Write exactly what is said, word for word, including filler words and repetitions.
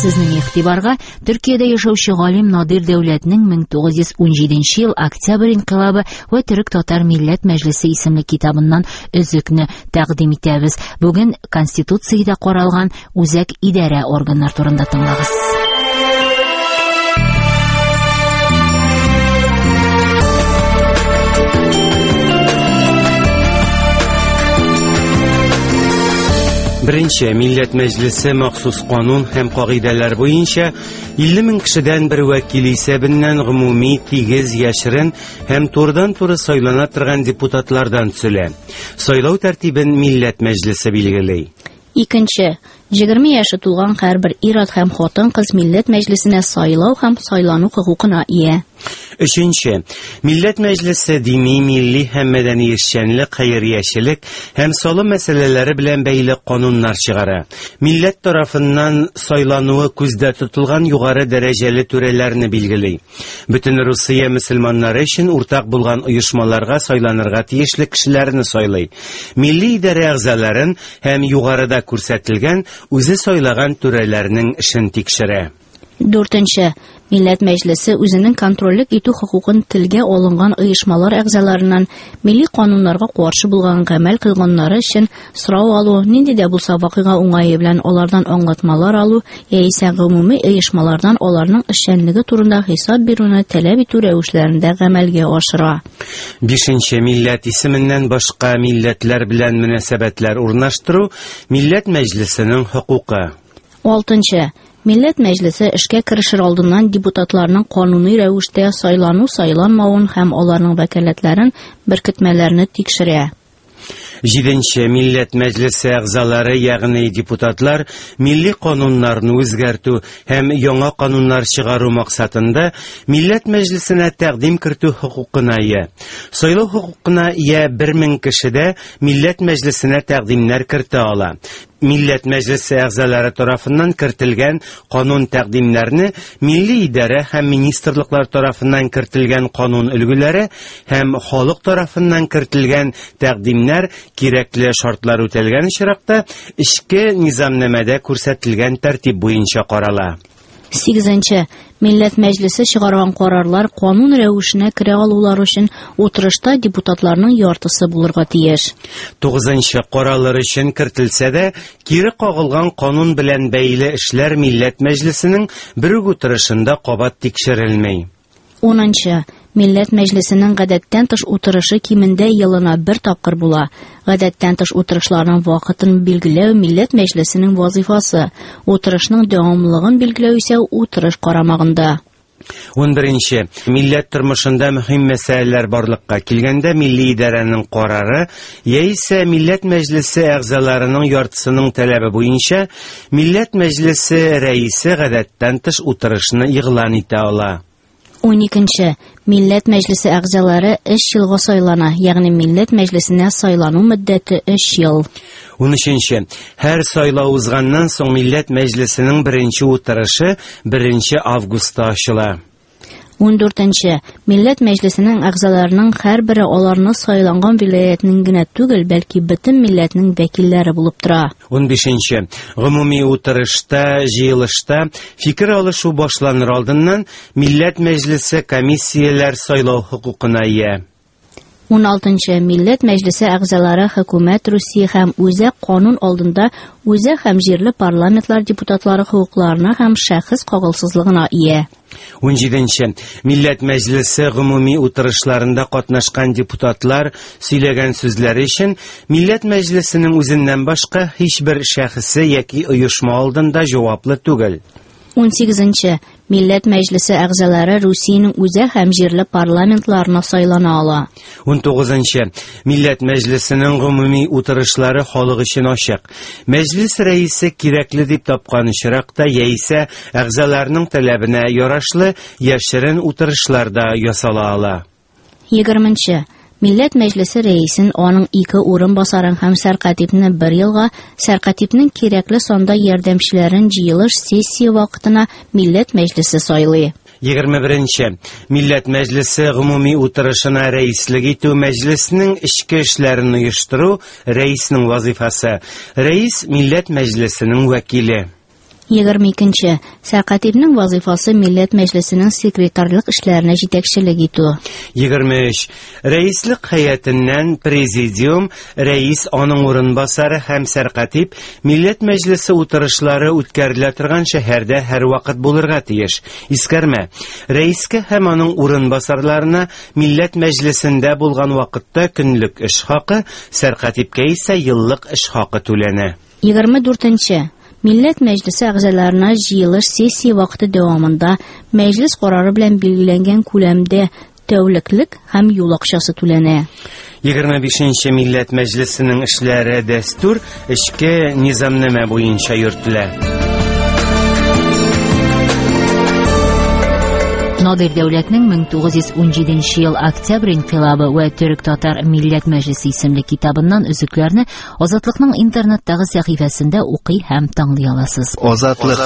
Сезнең игътибарга Төркиядә яшәүче галим Надир Дәүләтнең мең тугыз йөз унҗиденче ел Октябрь инкыйлабы вә Төрек-татар милләт мәҗлесе исемле китабыннан өзекне тәкъдим итәбез. Бүген Конституциядә каралган үзәк идарә органнар турында тыңлагыз. Беренче Милләт Мәҗлесе махсус канун һәм кагыйдәләр буенча илле мең кешедән бер вәкил исәбеннән гомуми, тигез, яшерен һәм турыдан-туры сайлана торган депутатлардан төзелә. Сайлау тәртибен Милләт Мәҗлесе билгели. Икенче, егерме яше тулган һәрбер ир-ат һәм хатын-кыз Милләт Мәҗлесенә сайлау һәм сайлану хокукына ия. Өченче, Милләт Мәҗлесе дини, милли һәм мәдәни эшчәнлек, хәйриячелек һәм салым мәсьәләләре белән бәйле кануннар чыгара. Милләт тарафыннан сайлануы күздә тотылган югары дәрәҗәле түрәләрне билгели. Бөтен Русия мөселманнары өчен уртак булган оешмаларга сайланырга тиешле кешеләрне сайлый. Милли идарә әгъзаларын һәм югарыда күрсәтелгән үзе сайлаган түрәләрнең эшен тикшерә. Дүртенче, Милләт Мәҗлесе үзенең контрольлек итү хокукын телгә алынган оешмалар әгъзаларыннан милли кануннарга каршы булган гамәл кылганнары өчен сорау алу, нинди дә булса вакыйга уңае белән алардан аңлатмалар алу яисә гомуми оешмалардан аларның эшчәнлеге турында хисап бирүне таләп итү рәвешләрендә гамәлгә ашыра. Бишенче, милләт исеменнән башка милләтләр белән мөнәсәбәтләр урнаштыру Милләт Мәҗлесенең хокукы. Алтынчы, Милләт Мәҗлесе эшкә керешер алдыннан депутатларның кануни рәвештә сайлану-сайланмавын һәм аларның вәкаләтләрен, беркетмәләрне тикшерә. Җиденче, Милләт Мәҗлесе әгъзалары, ягъни депутатлар, милли кануннарны үзгәртү һәм яңа кануннар чыгару максатында Милләт Мәҗлесенә тәкъдим кертү хокукына ия. Сайлау хокукына ия бер мең кеше дә Милләт Мәҗлесенә тәкъдимнәр кертә ала. Милләт Мәҗлесе әгъзалары тарафыннан кертелгән канун тәкъдимнәрне милли идарә һәм министрлыклар тарафыннан кертелгән канун өлгеләре һәм халык тарафыннан кертелгән тәкъдимнәр кирәкле шартлар үтәлгән очракта эчке низамнамәдә күрсәтелгән тәртип буенча карала. Сигезенче, Милләт Мәҗлесе чыгарган карарлар канун рәвешенә керә алулар өчен утырышта депутатларның яртысы булырга тиеш. Тугызынчы, каралар өчен кертелсә дә, кире кагылган канун белән бәйле эшләр Милләт Мәҗлесенең бер үк утырышында кабат тикшерелми. Унынчы, Милләт Мәҗлесенең гадәттән тыш утырышы кимендә елына бер тапкыр була. Гадәттән тыш утырышларның вакытын билгеләү Милләт Мәҗлесенең вазифасы, утырышның дәвамлылыгын билгеләү исә утырыш карамагында. Унберенче, милләт тормышында мөһим мәсьәләләр барлыкка килгәндә милли идарәнең карары яисә Милләт Мәҗлесе әгъзаларының яртысының таләбе буенча Милләт Мәҗлесе рәисе гадәттән тыш утырышны игълан итә ала. Уникенче, Милләт Мәҗлесе әгъзалары өч елга сайлана, ягъни Милләт Мәҗлесенә сайлану мөддәте өч ел. Унөченче, һәр сайлау узганнан соң Милләт Мәҗлесенең беренче утырышы беренче августта ачыла. Ундүртенче, Милләт Мәҗлесенең әгъзаларының һәрбере аларны сайланган вилаятның генә түгел, бәлки бөтен милләтнең вәкилләре булып тора. Унбишенче, гомуми утырышта, җыелышта фикер алышу башланыр алдыннан Милләт Мәҗлесе комиссияләр сайлау хокукына ия. Уналтынчы, Милләт Мәҗлесе әгъзалары хөкүмәт Русия һәм үзәк канун алдында үзәк һәм җирле парламентлар депутатлары хокукларына һәм шәхес кагылсызлыгына ия. Унҗиденче, Милләт Мәҗлесе гомуми утырышларында катнашкан депутатлар сөйләгән сүзләре өчен Милләт Мәҗлесенең үзеннән башка һичбер шәхесе яки оешма алдында җаваплы түгел. Унсигезенче, Милләт Мәҗлесе әгъзалары Русиянең үзәк һәм җирле парламентларына сайлана ала. Унтугызынчы, Милләт Мәҗлесенең гомуми утырышлары халык өчен ачык. Мәҗлес рәисе кирәкле дип тапкан очракта яисә әгъзаларның таләбенә ярашлы яшерен утырышлар да ясала ала. Егерменче, Милләт Мәҗлесе рәисен аның ике урынбасарын һәм сәркатипне бер елга, сәркатипнең кирәкле санда ярдәмчеләрен җыелыш сессия вакытына Милләт Мәҗлесе сайлый. Егерме беренче, Милләт Мәҗлесе гомуми утырышына рәислек итү мәҗлеснең эчке эшләрен оештыру рәиснең вазифасы. Рәис Милләт Мәҗлесенең вәкиле. Егерме икенче. Сәркатипнең вазифасы Милләт Мәҗлесенең секретарьлык эшләренә җитәкчелек итү. Егерме өч. Рәислек һәйәтеннән президиум, рәис, аның урынбасары һәм сәркатип Милләт Мәҗлесе утырышлары үткәрелә торган шәһәрдә һәрвакыт булырга тиеш. Искәрмә. Рәискә һәм аның урынбасарларына Милләт Мәҗлесендә булган вакытта көнлек эш хакы, сәркатипкә исә еллык эш хакы түләнә. Егерме дүртенче. Милләт Мәҗлесе әгъзаларына җыелыш сессия вакыты дәвамында мәҗлес карары белән билгеләнгән күләмдә тәүлеклек һәм юл акчасы түләнә. Егерме бишенче Милләт Мәҗлесенең эшләре дәстүр эчке низамнамә буенча йөртелә. Надир Дәүләтнең мең тугыз йөз унҗиденче ел Октябрь инкыйлабы вә Төрек-татар Милләт Мәҗлесе исемле китабыннан өзекләрне Азатлыкның интернеттагы сәхифәсендә укый һәм тыңлый аласыз. Азатлык.